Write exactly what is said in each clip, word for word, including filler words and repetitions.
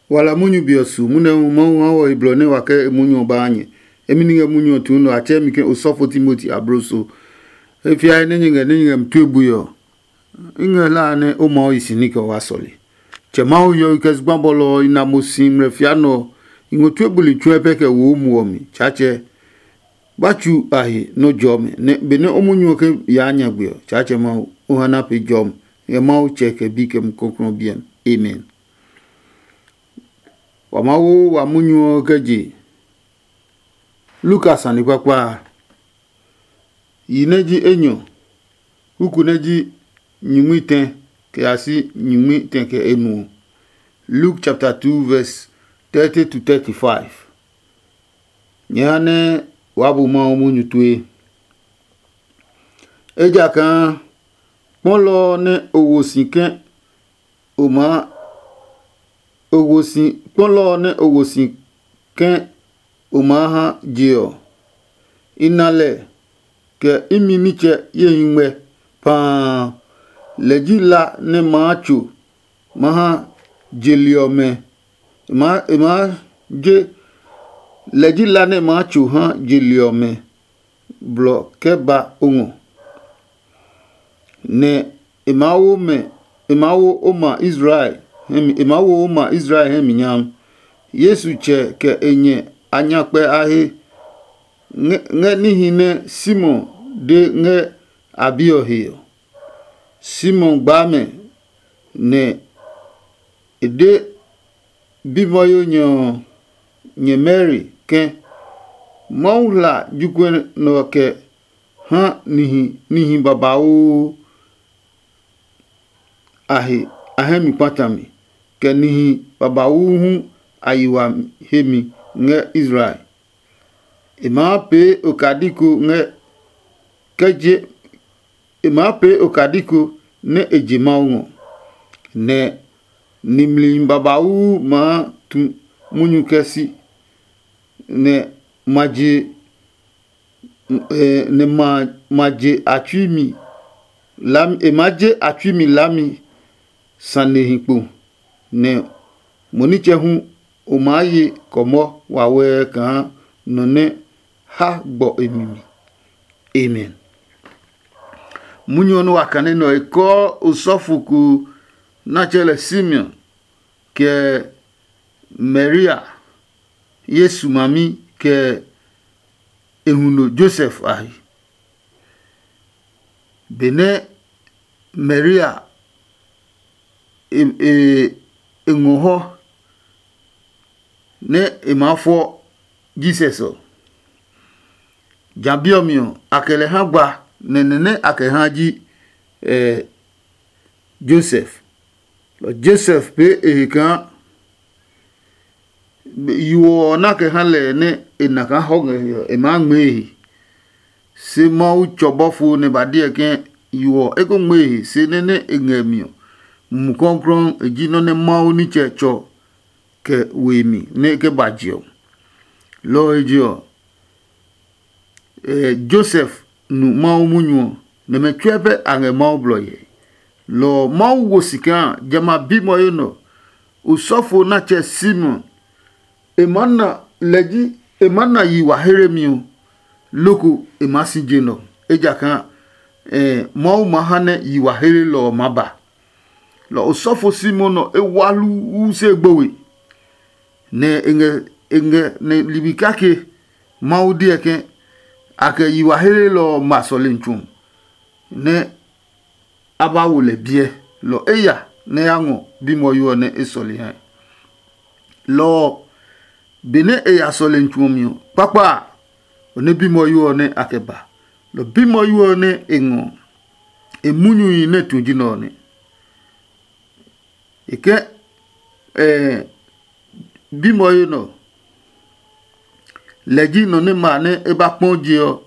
Wala munyu be ɔ su munyu hu Mawu ha wɔ he blɔ nɛ wa kɛ e munyu ɔ baa nyɛ. Emi ni ngɛ munyu ɔ tuu nɛ a tsɛɛ mi ke osɔfo Timoti abloso. E fiae nɛ nyɛ ngɛ nɛ nyɛ ngɛ mi tue bui ɔ, i ngɛ hlaa nɛ o maa yi si ní kɛ o wá sɔle. Tsɛ Mawu hiɔwe kɛ zugba bɔlɔ ɔ i na mo si ngmlɛ fia nɛ ɔ, i ngɔ tue buli tsuɛ pɛ kɛ wo o muɔ mi. Tsaatsɛ, ba tsu a he nɔ́ jɔmi, nɛ benɛ o munyu ɔ ke yaa nyagbe ɔ, Tsaatsɛ Mawu, o ha na pee jɔmi ngɛ Mawu Tsɛ kɛ Bi kɛ Mumi Klɔuklɔu ɔ biɛ mi. Amen. Wa maa wo wa munyu ɔ kɛ je Luka sane kpakpa a. Yi nɛ ji enyɔ, kuku nɛ ji nyingmi tɛ kɛ ya si nyingmi tɛ kɛ enuɔ. Luke chapter two verse thirty to thirty-five. Nyɛ ha nɛ waa bu Mawu munyu tue. Ejakaa kpɔlɔ ɔ nɛ o wo si ke o maa o wo si kpɔlɔ ɔ nɛ o wo si ke o maa ha je ɔ, i na lɛ kɛ imi nitsɛ ye hi ngmɛ paa. Lɛ ji la nɛ maa tso ma ha je li ɔmɛ. E maa e maa je lɛ ji la nɛ maa tso ha je li ɔmɛ blɔ kɛ ba o ngɔ, nɛ e maa wo mɛ e maa wo o ma Israel hɛ mi e maa wo o ma Israel hɛ mi nyam. Yesu tsɛ kɛ e nyɛ a nya kpɛ a he ngɛ ngɛ níhi nɛ Simon de ngɛ a bi ɔ he ɔ. Simon gbaa mɛ, nɛ e de bimɔyo nyɛ ɔ nyɛ Mari ke, Mawu hla jokuɛ nɛ ɔ kɛ ha nihi nihi babauu a he a hɛ mi kpata mi, kɛ nihi babauu hu a yi wa hemi ngɛ Israel. E maa pee okadi ko ngɛ kɛ je e maa pee okadi ko nɛ e je Mawu ngɔ, nɛ nimli babauu maa tu munyu kɛ si, nɛ ma je nɛ ma ma je a tsui mi lam e maa je a tsui mi lami sanehi kpo, nɛ mo nitsɛ hu o maa ye kɔmɔ wawɛɛ kaa nɔ nɛ ha gbɔ e mi mi. Amen. Munyu ɔ nɛ wa kane nɛ ɔ, e kɔɔ osɔfo ko nɛ a tsɛɛ lɛ Simeon, kɛ Maria, Yesu mami, kɛ e huno Josef a he. Benɛ Maria e e e ngɔ hɔ nɛ e maa fɔ Jesus ɔ, ja bi ɔ mi ɔ, a kɛ lɛ ha gba, nɛ nɛ nɛ a kɛ ha ji eh, Josef. Josef pee e he kaa yo ɔ na kɛ ha lɛ nɛ e na kaa hɔ ngɛ he ɔ, e maa ngmɛɛ e he. Se Mawu tsɔ bɔfo nɛ ba deɛ ke yo ɔ e ko ngmɛɛ e he, se nɛ nɛ e ngɛ mi ɔ, Mumi Klɔuklɔu e ji nɔ́ nɛ Mawu nitsɛ tsɔ kɛ we mi nɛ e ke ba je ɔ. Lɔ ɔ he je ɔ, Josef nu Mawu munyu ɔ, nɛ mɛ tsuɛ pɛ a ngɛ Mawu blɔ hyɛ. Lɔ ɔ Mawu wo si kaa jamɛ a bimwɔyo nɛ ɔ, osɔfo nɛ a tsɛ Simon, e maa na lɛ ji e maa na yi wa heremi ɔ, loko e maa si je nɛ ɔ, ejakaa Mawu maa ha nɛ yi wa herelɔ ɔ maa ba. Lɔ osɔfo Simon ɔ e wa hluu se gbo we, nɛ e ngɛ e ngɛ nɛ ligbi kake Mawu deɛ ke a kɛ yi wa helelɔ ɔ ma sɔlemi tsu ɔ, nɛ a ba wo lɛ biɛ. Lɔ eya nɛ ya ngɔ bimwɔyo ɔ nɛ e sɔle ha. Lɔ ɔ, benɛ e ya sɔlemi tsu ɔ mi ɔ, kpakpa a, ɔ nɛ bimwɔyo ɔ nɛ a kɛ ba. Lɔ bimwɔyo ɔ nɛ e ngɔ ɔ, e munyuhi nɛ tu ji nɛ ɔ nɛ. E ke ɛɛ bimwɔyo nɛ ɔ, lɛ ji nɔ nɛ ma nɛ e ba kpɔ je ɔ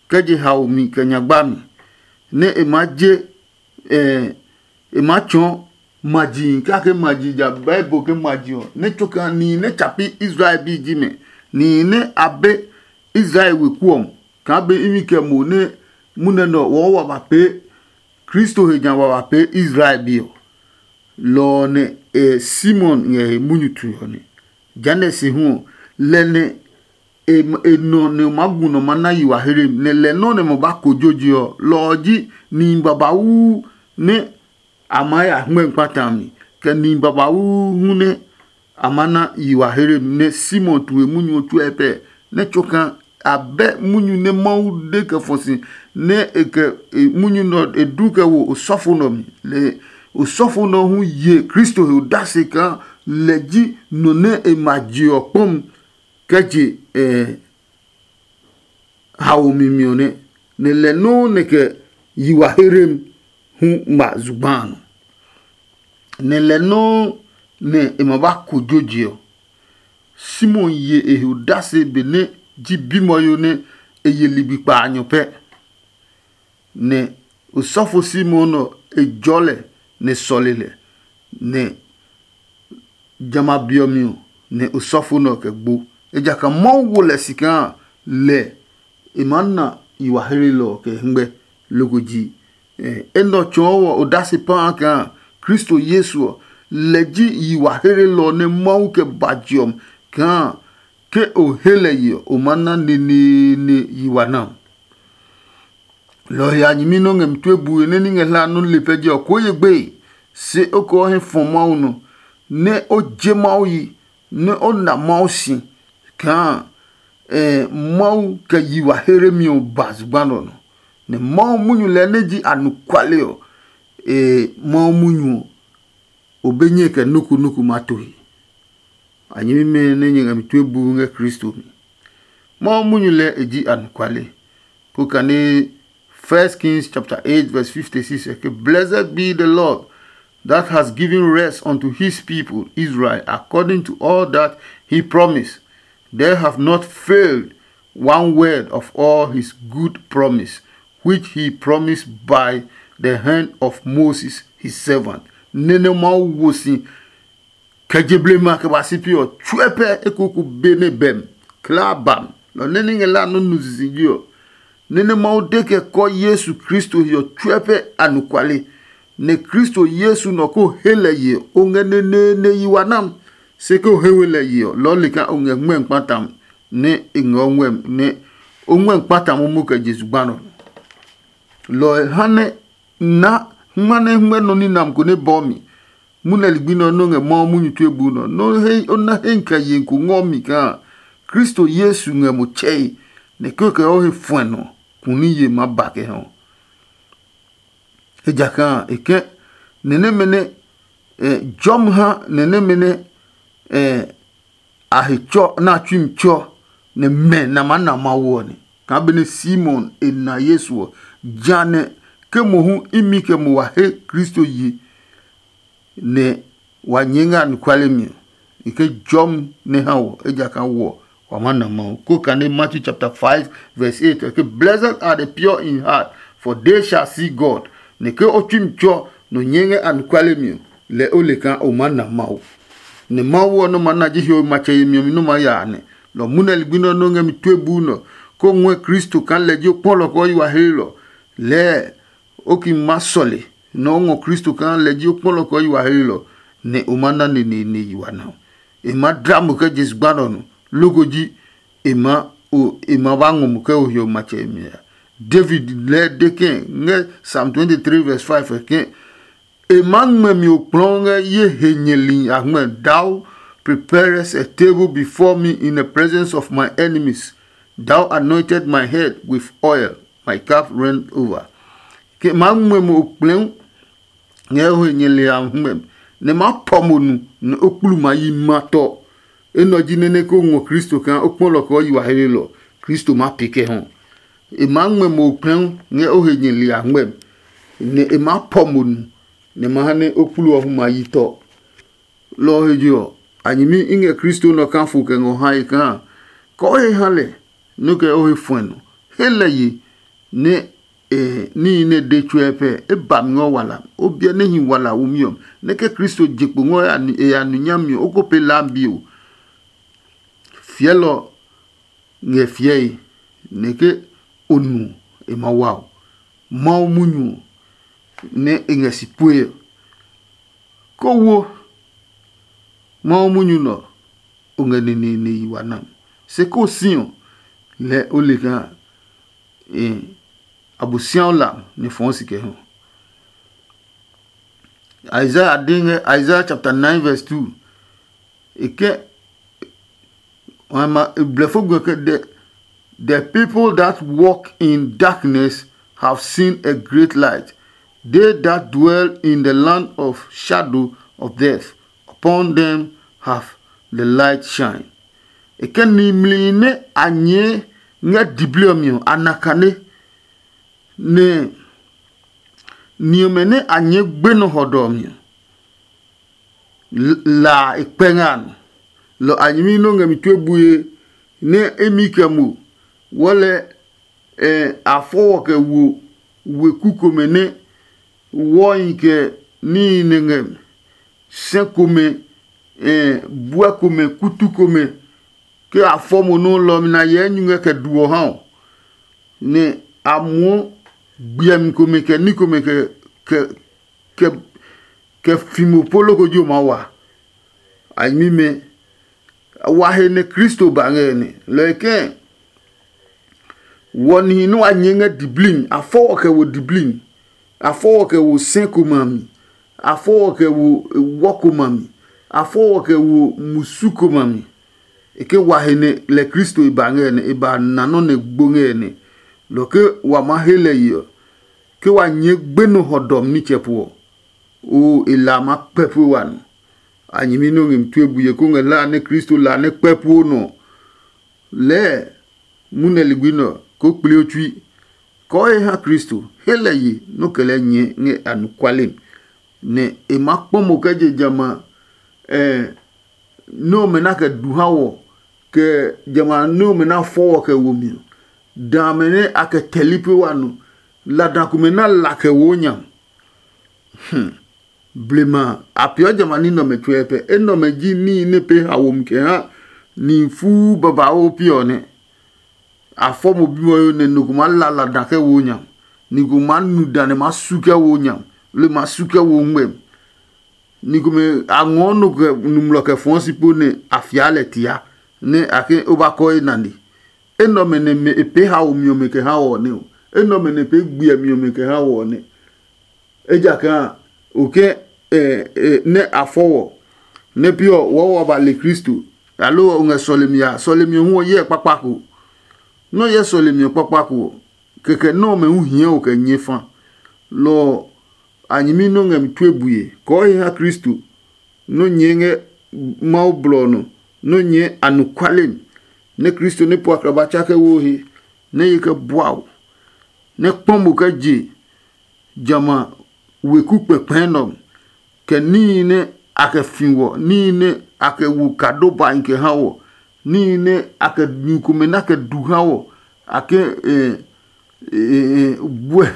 kɛ je haomi kɛ nyagba mi, nɛ e maa je ɛɛ e maa tsɔɔ maji kake maji ja Bible ke maji ɔ, nɛ tsoka nihi nɛ tsa pi Israel bi ji mɛ, nihi nɛ a be Israel weku ɔ kaa be imi kɛ mo nɛ munɛ nɛ ɔ wɔɔ wa ba pee Kristo he nya wa ba pee Israel bi ɔ. Lɔ ɔ nɛ e Simon ngɛ he munyu tue ɔ nɛ. Jehanɛ se hu ɔ, lɛ nɛ e nɔ nɛ o maa gu nɔ ma na yi wa hlem, nɛ lɛ nɔ́ nɛ mo ba kojo je ɔ. Lɔ ɔ ji nihi babauu nɛ a maa ya hngmɛ kpata a mi, kɛ nihi babauu hu nɛ a maa na yi wa hlem. Nɛ Simon tu he munyu ɔ tsuɛ pɛ, nɛ tsoka a bɛ munyu nɛ Mawu de kɛ fɔ si, nɛ e kɛ munyu nɛ e du kɛ wo osɔfo nɛ ɔ mi. Lɛ osɔfo nɛ ɔ hu ye Kristo he odase kaa lɛ ji nɔ nɛ e ma je ɔ kpɔmi kɛ je haomi mi ɔ nɛ, nɛ lɛ nɔuu nɛ kɛ yi wa herem hu ngma zugba a nɔ. Nɛ lɛ nɔuu nɛ e ma ba kojo je ɔ, Simon ye e he odase benɛ ji bimwɔyo nɛ e ye ligbi kpaanyɔ pɛ. Nɛ osɔfo Simon ɔ, e jɔɔ lɛ, nɛ e sɔle lɛ, nɛ jamɛ a be ɔ mi ɔ, nɛ osɔfo nɛ ɔ kɛ gbo. Ejakaa Mawu wo lɛ si kaa lɛ e maa na yi wa hlelɔ ɔ kɛ hɛngmɛ. Loko ji enɛ ɔ tsɔɔ wɔ odase paa kaa Kristo Yesu ɔ, lɛ ji yi wa hlelɔ ɔ nɛ Mawu kɛ ba je ɔ mi kaa ke o he lɛ ye ɔ, o maa na neneene yi wa na. Lɔ ɔ he a nyɛmi nɔ́ ngɛ mi tue bue nɛ ní ngɛ hlaa nɔ́ le pɛ jɛ ɔ, koo ye gbeye, se o kɛ o hɛ fɔ Mawu nɔ, nɛ o je Mawu yi, nɛ o na Mawu si kaa Mawu kɛ yi wa heremi ɔ ba zugba nɛ ɔ nɔ, nɛ Mawu munyu lɛɛ nɛ ji anɔkuale ɔ, Mawu munyu ɔ, o be nyɛe kɛ nɔ́ ko nɔ́ ko maa to he. A nyɛmimɛ nɛ nyɛ ngɛ mi tue buu ngɛ Kristo mi. Mawu munyu lɛɛ e ji anɔkuale. Ko kane First Kings chapter eight verse fifty-six ɛ ke, "Blessed be the Lord that has given rest unto his people Israel according to all that he promised. There have not failed one word of all his good promise, which he promised by the hand of Moses his servant." Nene Mawu wo si kɛ je blema kɛ ba si pi ɔ tsuɛ pɛ ekoku be nɛ bɛm kla bam. Lɔ nɛ ní ngɛ la nɔ nu sisiji ɔ, nene Mawu de kɛ kɔ Yesu Kristo he ɔ tsuɛ pɛ anɔkuale, nɛ Kristo Yesu nɔ ko he lɛ ye ɔ, o ngɛ neneene yi wa nam. Se ke o he we lɛ ye ɔ, lɔ le kaa o ngɛ ngmɛmi kpatam nɛ e ngɛ o ngmɛmi nɛ o ngmɛmi kpatam momo kɛ je zugba nɔ. Lɔ ɔ ha nɛ na hma nɛ hngmɛ nɔ ní nam ko nɛ bɔɔ mi. Munɛ ligbi nɛ ɔ nɔ́ ngɛ Mawu munyu tue buu nɔ. Nɔ he o na he kɛ ye ko ngɔ mi kaa Kristo Yesu ngɛ mo tsɛe, nɛ kikɛ o he fuɛ nɔ kuni ye maa ba kɛ hɛ ɔ. Ejakaa e kɛ nɛ nɛmɛ nɛ jɔmi ha nɛ nɛmɛ nɛ a he tsɔ nɛ a tsui mi tsɔ nɛ mɛ nɛ a maa na Mawu ɔ nɛ. Kaa benɛ Simon e na Yesu ɔ, jehanɛ ke mohu imi kɛ mo wa he Kristo yi, nɛ wa nyɛɛ ngɛ anɔkuale mi ɔ, e ke jɔmi nɛ ha wɔ, ejakaa wɔ wa maa na Mawu. Ko kane Matthew chapter five verse eight ɔ ke, "Blessed are the pure in heart, for they shall see God." Nɛ ke o tsui mi tsɔ nɔ nyɛɛ ngɛ anɔkuale mi ɔ, lɛ o le kaa o maa na Mawu. Nɛ Mawu ɔ nɔ́ maa na ji hiɔwe matsɛ yemi ɔ mi nɔ́ maa ya a nɛ. Lɔ ɔ munɛ ligbi nɛ ɔ nɔ́ ngɛ mi tue buu nɛ ɔ, kó ngɔɛ Kristo kaa lɛ ji o kpɔlɔ kɛ o yi wa heelɔ. Lɛɛ o ki ma sɔle nɛ o ngɔ Kristo kaa lɛ ji o kpɔlɔ kɛ o yi wa heelɔ, nɛ o ma na neneene yi wa nɛ ɔ. E ma dla mo kɛ je zugba nɛ ɔ nɔ, loko ji e ma o e ma ba ngɔ mo kɛ o hiɔwe matsɛ yemi a. David lɛɛ de kɛɛ ngɛ Psalm twenty-three verse five ɔ ke, "E maa ngmɛ mi okplɔɔ ngɛ ye he nyɛli a ngmɛ. Thou preparest a table before me in the presence of my enemies. Thou anointed my head with oil, my cup ran over." Ke maa ngmɛ mo okplɛɛ ngɛ o he nyɛli a ngmɛ, nɛ maa pɔ mo nu, nɛ o kplu ma yi ma tɔ. Enɛ ɔ ji nɛ nɛ ko ngɔ Kristo kaa o kpɔlɔ kɛ o yi wa heelɔ, Kristo maa pee kɛ hɔ. E maa ngmɛ mo okplɛɛ ngɛ o he nyɛli a ngmɛ, nɛ e maa pɔ mo nu, nɛ ma ha nɛ o kplu ɔ hu ma yi tɔ. Lɔ ɔ he je ɔ, a nyɛmi i ngɛ Kristo nɔ kafo kɛ ngɔ hae kaa kɛ o he ha lɛ nɛ o kɛ o he fuɛ nɔ. He lɛ ye nɛ e níhi nɛ e de tsuɛ pɛ e ba mi ngɔ wala. O biɛ nɛ hi wala womi ɔ, nɛ ke Kristo je kpo ngɔ e ya nu nyami ɔ, o ko pee laa bio. Fiɛlɔ ngɛ fiɛe, nɛ ke o nu ɔ, e ma wa o. Mawu munyu ɔ nɛ e ngɛ si pue ɔ, Ko wo Mawu munyu nɛ ɔ, o ngɛ neneene yi wa nam. Se ko si ɔ, lɛɛ o le kaa Abosiaɔ la nɛ fɔɔ si kɛ hɔ. Isaiah de ngɛ Isaiah chapter nine verse two. E kɛ blɛfo gbe ke the, the people that walk in darkness have seen a great light. They that dwell in the land of shadow of death, upon them have the light shine. E kɛ nimli nɛ a nyɛɛ ngɛ diblɔ mi ɔ, a na kane, nɛ ni ɔmɛ nɛ a nyɛɛ gbenɔ hɔdɔ ɔ mi ɔ, la a e kpɛ ngɛ a nɔ. Lɔ a nyɛmi nɛ o ngɛ mi tue bue nɛ emi kɛ mo wɔ lɛ a fɔ wɔ kɛ wo weku komɛ nɛ wɔhi kɛ níhi nɛ ngɛ sɛ komɛ, buɛ komɛ, kutu komɛ, ke a fɔ mo nɔ́ lɔ mi na hyɛ enyuŋɛ kɛ du ɔ ha ɔ, nɛ a muɔ gbiɛmi komɛ kɛ ní komɛ kɛ kɛ kɛ kɛ fi mo po loko jo maa wa. A nyɛmimɛ, wa he nɛ Kristo ba ngɛ nɛ lɔ e kɛɛ, wɔ nihi nɛ wa nyɛɛ ngɛ diblii mi, a fɔ wɔ kɛ wo diblii mi, a fɔ wɔ kɛ wo sɛ komɛ a mi, a fɔ wɔ kɛ wo wɔ komɛ a mi, a fɔ wɔ kɛ wo musu komɛ a mi. E ke wa he nɛ lɛ Kristo e ba ngɛ nɛ e ba na nɔ́ nɛ gbo ngɛ nɛ lɔ ke wa maa he lɛ ye ɔ, ke wa nyɛɛ gbenɔ hɔdɔmi nitsɛ po ɔ, oo e la ma kpɛ pue wa nɔ. A nyɛmi nɛ o ngɛ mi tue bue ko ngɛ la nɛ Kristo la nɛ kpɛ puo nɔ. Lɛɛ munɛ ligbi nɛ ɔ ko kpli o tsui, kɔɔ he ha Kristo, he lɛ ye nɔ́ kɛ lɛ nyɛɛ ngɛ anɔkuale mi, nɛ e maa kpɔ mo kɛ je jamɛ a nɛ ɔmɛ na kɛ du ha wɔ, kɛ jamɛ a nɛ ɔmɛ na fɔ wɔ kɛ wo mi ɔ, da amɛ nɛ a kɛ tɛli pue wa nɔ, la da komɛ na la kɛ wo nya. Blema a peeɔ jamɛ a ní nɛ ɔmɛ tsuɛ pɛ. Enɛ ɔmɛ ji níhi nɛ pee haomi kɛ ha nihi fuu babauu pi ɔ nɛ. A fɔ mo bimwɔyo nɛ nɔ ko maa la lada kɛ wo nya, ni ko maa nu da nɛ maa su kɛ wo nya, loo e maa su kɛ wo ngmɛmi. Ni komɛ a ngɔɔ nɔ kɛ numlɔ kɛ fɔɔ si po nɛ a fia lɛ tia, nɛ a ke o ba kɔe nane. Enɛ ɔmɛ nɛ mɛ e pee haomi ɔmɛ kɛ ha wɔ nɛ ɔ. Enɛ ɔmɛ nɛ pee gbiɛmi ɔmɛ kɛ ha wɔ nɛ. Ejakaa o ke nɛ a fɔ wɔ, nɛ pi ɔ wɔɔ wa ba le Kristo, aloo o ngɛ sɔlemi a, sɔlemi ɔ hu ɔ hyɛ kpakpa ko. Nɔ́ hyɛ sɔlemi ɔ kpakpa ko ɔ, kɛkɛ nɔ́ ɔmɛ hu hia o kɛ nyɛ fa. Lɔ ɔ, a nyɛmi nɔ́ ngɛ mi tue bue kɔɔ he ha Kristo, nɔ́ nyɛɛ ngɛ Mawu blɔ ɔ nɔ, nɔ́ nyɛɛ anɔkuale mi, nɛ Kristo nɛ po aklaba tsa kɛ wo he, nɛ ye kɛ bua o, nɛ kpɔ mo kɛ je jamɛ a weku kpɛkpɛɛ nɛ ɔ, kɛ níhi nɛ a kɛ fi wɔ, níhi nɛ a kɛ wo kado bahi kɛ ha wɔ, níhi nɛ a kɛ nu komɛ nɛ a kɛ du ha wɔ, a ke buɛ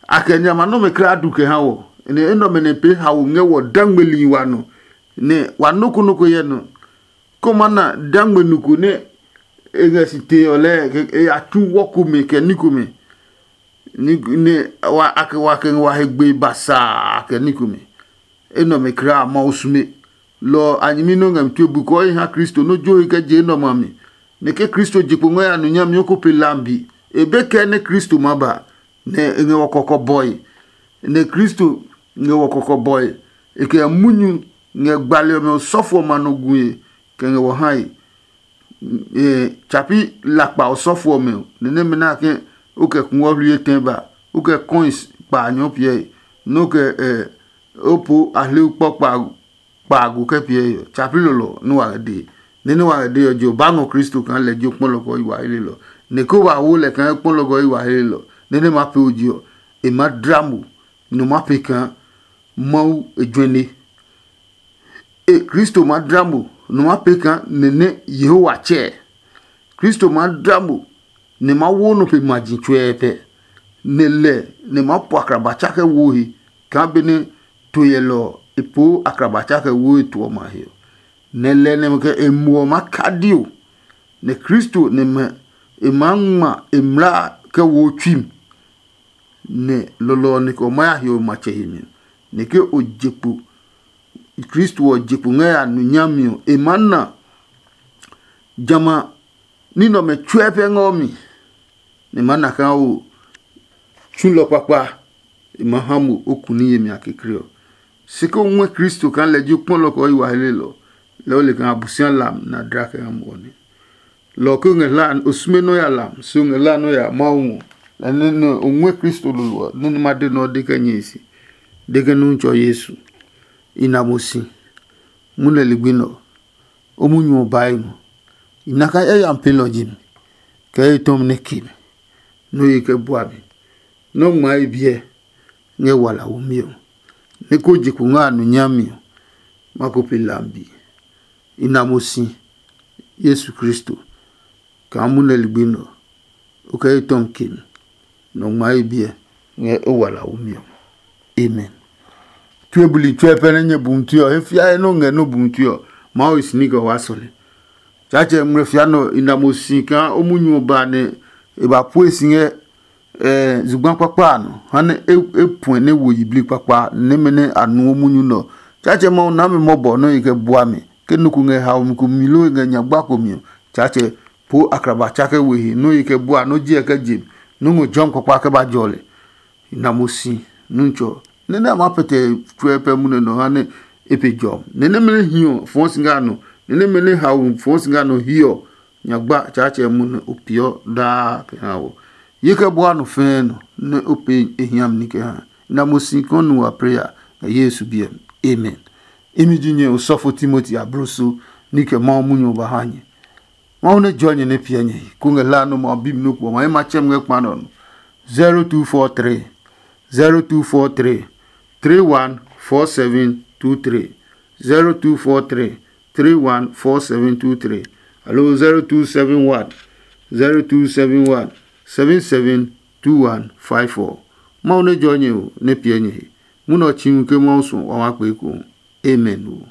a kɛ nyama nɔmɛ kulaa du kɛ ha wɔ. Nɛ enɛ ɔmɛ nɛ pee haomi ngɛ wɔ dangmeli wa nɔ, nɛ wa nɔ́ ko nɔ́ ko hyɛ nɔ. Kó ma na dangme nu ko nɛ e ngɛ si tee ɔ lɛɛ e ya tsu wɔ komɛ kɛ ní komɛ, nɛ a kɛ wa kɛ ngɛ wa he gbe basaa kɛ ní komɛ. Enɛ ɔmɛ kulaa Mawu sume. Lɔ ɔ a nyɛmi nɛ o ngɛ mi tue bui kɔɔhi ha Kristo nɛ o jo he kɛ je enɛ ɔmɛ a mi. Nɛ ke Kristo je kpo ngɔ ya nɔ nyami ɔ ko pe lambi. E be kɛ nɛ Kristo ma ba, nɛ e ngɛ wɔ kɔkɔbɔe. Nɛ Kristo ngɛ wɔ kɔkɔbɔe, e kɛ munyu ngɛ gbali ɔmɛ osɔfo ɔmɛ a nɔ gue kɛ ngɛ wɔ hae. Tsapi lakpa osɔfo ɔmɛ ɔ, nɛ nɛmɛ na ke o kɛ kungwɔ hlu etɛ ba, o kɛ coins kpa a nyɔɔ piɛe, nɛ o kɛ o po ahleu kpɔ kpaago kɛ piɛe ɔ, tsapi lɔlɔ nɛ wa ngɛ dee. Nɛ nɛ wa ngɛ dee ɔ, je o ba ngɔ Kristo kaa lɛ ji o kpɔlɔ kɛ o yi wa helelɔ. Nɛ ke o ba wo lɛ kaa kpɔlɔ kɛ o yi wa helelɔ, nɛ nɛ ma pee o je ɔ, e maa dla mo, nɛ o maa pee kaa Mawu e juɛne. E Kristo maa dla mo, nɛ o maa pee kaa nɛ nɛ Yehowa tsɛɛ. Kristo maa dla mo, nɛ ma wo nɔ pe ma ji tsuɛɛtɛ, nɛ lɛ nɛ ma po akraba tsa kɛ wo he kaa benɛ to yɛlɛ ɔ e poo akraba tsa kɛ wo e to ɔmɛ a he ɔ. Nɛ lɛ nɛ kɛ e muɔ maa kadi o, nɛ Kristo nɛ mɛ e maa ngma e mlaa kɛ wo tsui mi. Nɛ lɔlɔ ɔ nɛ kɛ o maa ya hiɔwe matsɛ he mi, nɛ ke o je kpo Kristo ɔ je kpo ngɛ ya nu nyami ɔ, e maa na jamɛ ní nɛ ɔmɛ tsuɛ pɛ ngɛ ɔ mi, nɛ e maa na kaa o tsulɔ kpakpa, e maa ha mo o ku ní yemi a kekle ɔ. Se ke o ngɔɛ Kristo kaa lɛ ji o kpɔlɔ kɛ o yi wa helelɔ, lɛ o le kaa Abosiami lam na dla kɛ ha mo ɔ nɛ. Lɔ ke o ngɛ hla o sume nɔ́ ya lam, se o ngɛ hla nɔ́ ya Mawu ngɔ. Lɛ nɛ nɛ o ngɔɛ Kristo lolo ɔ, nɛ ma de nɛ ɔ de kɛ nyɛ e se, de ke Nuhu tsɔ Yesu. I na mo si, munɛ ligbi nɛ ɔ, o munyu ɔ bae ngɔ. I na kaa yayami pelɔ ji mi, kɛ etɔmi nɛ ke mi, nɛ o ye kɛ bua mi, nɛ o ngmaa e biɛ ngɛ wala womi ɔ, nɛ ko je kpo ngɛ a nu nyami ɔ, ma ko pe lambi. I na mo si, Yesu Kristo, kaa munɛ ligbi nɛ ɔ, o kɛ etɔmi ke mi, nɛ o ngmaa e biɛ ngɛ o wala womi ɔ. Amen. Tue buli tsuɛ pɛ nɛ nyɛ bu mutui ɔ, he fiae nɛ o ngɛ nɛ o bu mutui ɔ, Mawu e si ní kɛ o waa sɔle. Tsaatsɛ ngmlɛ fia nɛ ɔ, i na mo si kaa o munyu ɔ ba nɛ e ba pue si ngɛ zugba kpakpa a nɔ, ha nɛ e puɛ nɛ wo yiblii kpakpa nɛmɛ nɛ a nuɔ munyu nɛ ɔ. Tsaatsɛ Mawu na mi mɔbɔ nɛ e kɛ bua mi. Ke nɔ ko ngɛ haomi ko mi loo e ngɛ nyagba ko mi ɔ, Tsaatsɛ po akraba tsa kɛ we he nɔ́ e kɛ bua nɔ́ jiɛ kɛ je nɔ́ ngɔ jɔmi kpakpa kɛ ba jɔ lɛ. I na mo si Nutsɔ nɛ nɛ a maa pɛtɛ tsuɛ pɛ munɛ nɔ ha nɛ e pe jɔmi. Nɛ nɛmɛ nɛ hi ɔ fɔɔ si ngɛ a nɔ, nɛ nɛmɛ nɛ haomi fɔɔ si ngɛ a nɔ hiɛ ɔ, nyagba Tsaatsɛ munɛ o peeɔ daa kɛ ha wɔ. Ye kɛ bua nɔ fɛɛ nɔ nɛ o pee e hiami ní kɛ ha. I na mo si kɔɔ nu wa preya ngɛ Yesu biɛ mi. Amen. Imi ji nyɛ osɔfo Timoti abloso ní kɛ Mawu munyu ɔ ba ha nyɛ. Mawu nɛ jɔ nyɛ nɛ piɛ nyɛ he, kó ngɛ hla nɔ́ ma bimi nɔ́ kuɔ ma ye ma tsɛm ngɛ kpa nɛ ɔ nɔ. zero two four three, zero two four three, three one four seven two three, zero two four three, three one four seven two three, aloo zero two seven one, zero two seven one, seven seven two one five four. Mawu nɛ jɔ nyɛ o, nɛ piɛ nyɛ he. Munɔ ɔ tsi hu ke Mawu suɔ wa maa kpee ko. Amen o.